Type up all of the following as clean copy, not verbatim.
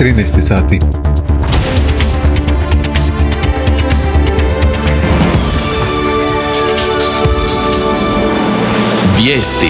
13 sati. Vijesti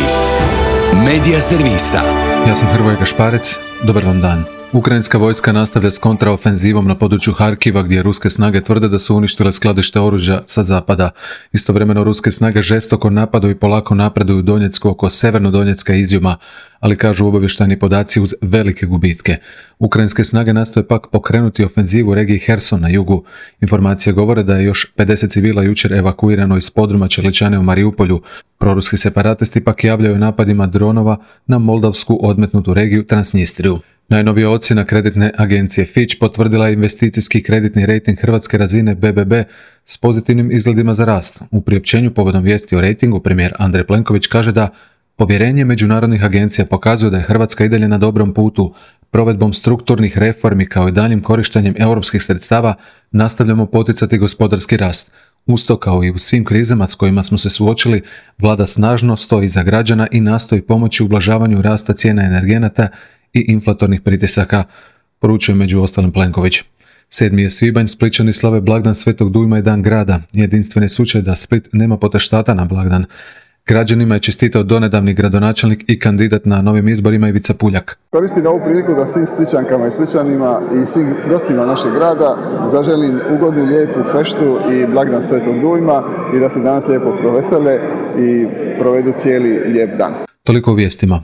Medija servisa. Ja sam Hrvoje Gašparec, dobar vam dan. Ukrajinska vojska nastavlja s kontraofenzivom na području Harkiva, gdje ruske snage tvrde da su uništile skladište oružja sa zapada. Istovremeno ruske snage žestoko napadaju i polako napreduju u Donjecku oko Severnodonjecka i Izjuma, ali kažu obavještajni podaci uz velike gubitke. Ukrajinske snage nastoje pak pokrenuti ofenzivu u regiji Herson na jugu. Informacije govore da je još 50 civila jučer evakuirano iz podruma Čeličane u Mariupolju. Proruski separatisti pak javljaju napadima dronova na moldavsku odmetnutu regiju Transnistriju. Najnovija ocjena kreditne agencije Fitch potvrdila je investicijski kreditni rejting hrvatske razine BBB s pozitivnim izgledima za rast. U priopćenju povodom vijesti o rejtingu premijer Andrej Plenković kaže da povjerenje međunarodnih agencija pokazuje da je Hrvatska i dalje na dobrom putu. Provedbom strukturnih reformi kao i daljim korištenjem europskih sredstava nastavljamo poticati gospodarski rast. Usto kao i u svim krizama s kojima smo se suočili, vlada snažno stoji iza građana i nastoji pomoći ublažavanju rasta cijena energenata i inflatornih pritisaka, poručuje među ostalim Plenković. 7. je svibanj, Splićani slave blagdan Svetog Dujma i dan grada. Jedinstveni slučaj da Split nema poteštata na blagdan. Građanima je čestitao donedavni gradonačelnik i kandidat na novim izborima Ivica Puljak. Koristim ovu priliku da svim Splićankama i Splićanima i svim gostima našeg grada zaželim ugodnu, lijepu feštu i blagdan Svetog Dujma i da se danas lijepo provesele i provedu cijeli lijep dan. Toliko u vijestima.